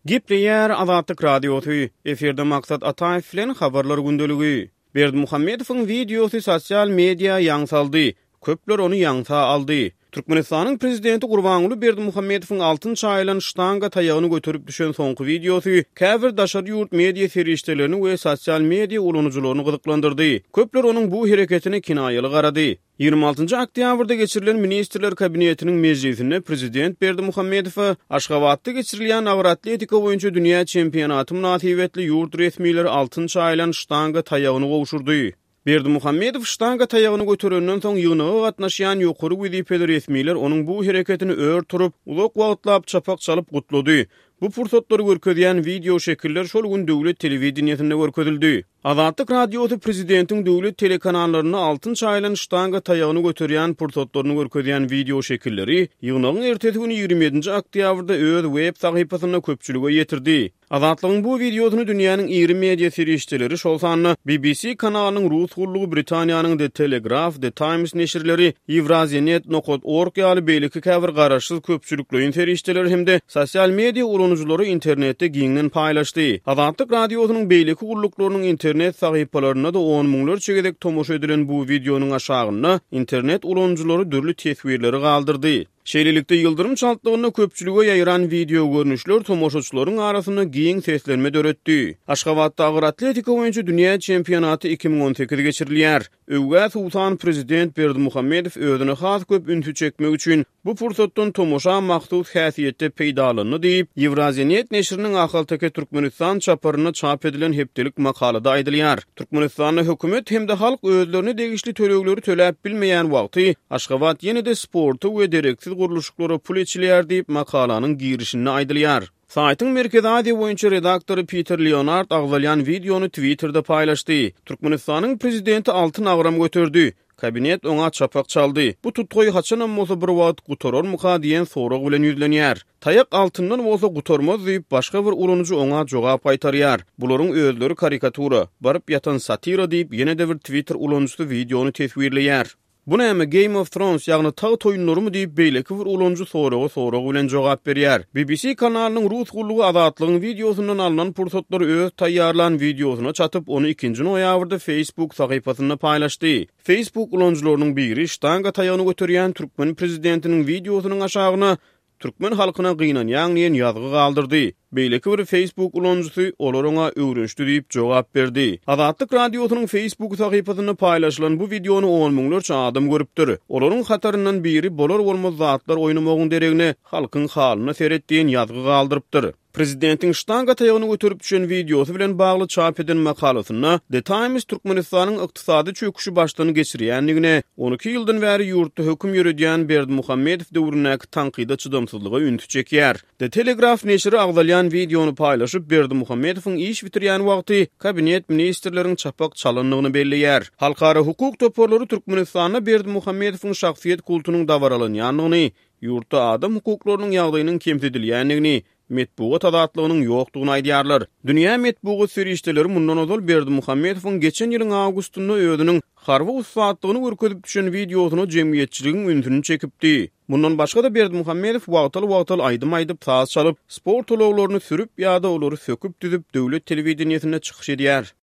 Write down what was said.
Gepleýär Azatlyk Radiosy, efirde Maksat Ataýew bilen Habarlar gündeligi. Berdimuhamedowyň wideosy sosial media ýaň saldy, köpler ony ýaňsa aldy. Türkmenistanyň prezidenti Gurbanguly Berdimuhamedowyň altyn çaýylan ştanga taýagyny göterip düşen soňky wideosy käbir daşary ýurt media serişdelerini we sosial media ulanyjylaryny gyzyklandyrdy. Köpler onuň bu hereketine kinaýaly garady. 26-njy oktýabrda geçirilen Ministrler Kabinetiniň mejlisinde prezident Berdimuhamedowa Aşgabatda geçirilýän agyr atletika boýunça dünýä çempionaty mynasybetli ýurt resmileri altyn çaýylan ştanga taýagyny gowşurdy. Berdimuhamedow ştanga taýagyny göterenden soň ýygnaga gatnaşýan ýokary wezipeli resmiler onuň bu hereketini ör turup, uzak wagtlap çapak çalyp gutlady. Bu pursatlary görkezýän wideoşekiller şol gün döwlet telewideniýesinde görkezildi. Azatlyk Radiosy prezidentiň döwlet telekanallarynda altyn çaýylan ştanga taýagyny göterýän pursatlaryny görkezýän wideoşekilleri ýygnagyň ertesi güni 27-nji oktýabrda öz web sahypasynda köpçülige ýetirdi. Azatlygyň bu wideosyny dünýäniň iri media serişdeleri, şol sanda BBC kanalynyň rus gullugy, Britaniýanyň The Telegraph, The Times neşirleri, Eurasianet nokat org ýaly beýleki käbir garaşsyz köpçülikleýin serişdeler hem-de sosial media ulanyjylary internetde giňden paýlaşdy. Azatlyk Radiosynyň beýleki gulluklarynyň internet sahypalarynda-da on müňlerçe gezek tomaşa edilen bu wideonyň aşagynda internet ulanyjylary dürli teswirleri galdyrdy. Şeýlelikde, ýyldyrym çaltlygynda köpçülige ýaýran wideogörnüşler tomaşaçylaryň arasynda giň seslenme döretdi. Aşgabatda agyr atletika boýunça dünýä çempionaty 2018 geçirilýär. Öwgä suwsan prezident Berdimuhamedow özüne has köp ünsi çekmek üçin bu pursatdan tomaşa mahsus häsiýetde peýdalandy diýip, Ýewraziýanet neşiriniň Ahalteke Türkmenistan çaparynda çap edilen hepdelik makalada aýdylýar. Türkmenistanda hökümet hem-de halk özlerine degişli tölegleri töläp bilmeýän wagty, Aşgabat ýene-de sporta we dereksiz gurluşyklara pul eçilýär diýip, makalanyň girişinde aýdylýar. Saýtyň Merkezi Aziýa boýunça redaktory Piter Leonard agzalýan wideony Twitterde paýlaşdy. Türkmenistanyň prezidenti altyn agram göterdi. Kabinet oňa çapak çaldy. Bu tutgaý haçanam bolsa bir wagt gutararmyka diýen sorag bilen ýüzlenýär. Taýak altyndan bolsa gutarmaz diýip, başga bir ulanyjy oňa jogap gaýtarýar. Bularyň özleri karikatura, baryp ýatan satira diýip, ýene-de bir Twitter ulanyjysy wideony teswirleýär. Bu näme, Game of Thrones, ýagny Tagt oýunlarymy diýip, beýleki bir ulanyjy soraga sorag bilen jogap berýär. BBC kanalynyň rus gullugy Azatlygyň wideosyndan alnan pursatlary öz taýýarlan wideosyna çatyp, ony ikinji noýabrda Facebook sahypasynda paýlaşdy. Facebook ulanyjylarynyň biri ştanga taýagyny göterýän türkmen prezidentiniň wideosynyň aşagyna Türkmen halkyna gynanýaň diýen ýazgy galdyrdy. Beýleki bir Facebook ulanyjysy olar oňa öwrenişdi diýip jogap berdi. Azatlyk Radiosynyň Facebook sahypasynda paýlaşylan bu wideony on müňlerçe adam görüpdir. Olaryň hataryndan biri bolar-bolmaz zatlar oýnamagyň deregine halkyň halyna seret diýen ýazgy galdyrypdyr. Prezidentiň ştanga taýagyny göterip düşen wideosy bilen bagly çap eden makalasynda The Times Türkmenistanyň ykdysady çöküşi başdan geçirýändigine, 12 ýyldan bäri ýurtda höküm ýöredýän Berdimuhamedow döwründäki tankyda çydamsyzlyga ünsi çekýär. The Telegraph neşiri agzalýan wideony paýlaşyp, Berdimuhamedowyň iş bitirýän wagty kabinet ministrleriň çapak çalandygyny belleýär. Halkara hukuk toparlary Türkmenistanda Berdimuhamedowyň şahsyýet kultunyň dabaralanýandygyny, Ýurtda adam hukuklarynyň ýagdaýynyň kemsidilýändigini, metbugat azatlygynyň ýokdugyny aýdýarlar. Dünýä metbugat serişdeleri mundan ozal Berdimuhamedowyň geçen ýylyň awgustynda özüniň harby ussatlygyny görkezip düşen wideosyna jemgyýetçiligiň ünsüni çekipdi. Mundan başga-da Berdimuhamedow wagtal-wagtal aýdym aýdyp, saz çalyp, sport ulaglaryny sürüp ýa-da olary söküp-düzüp döwlet telewideniýesinde çykyş edýär.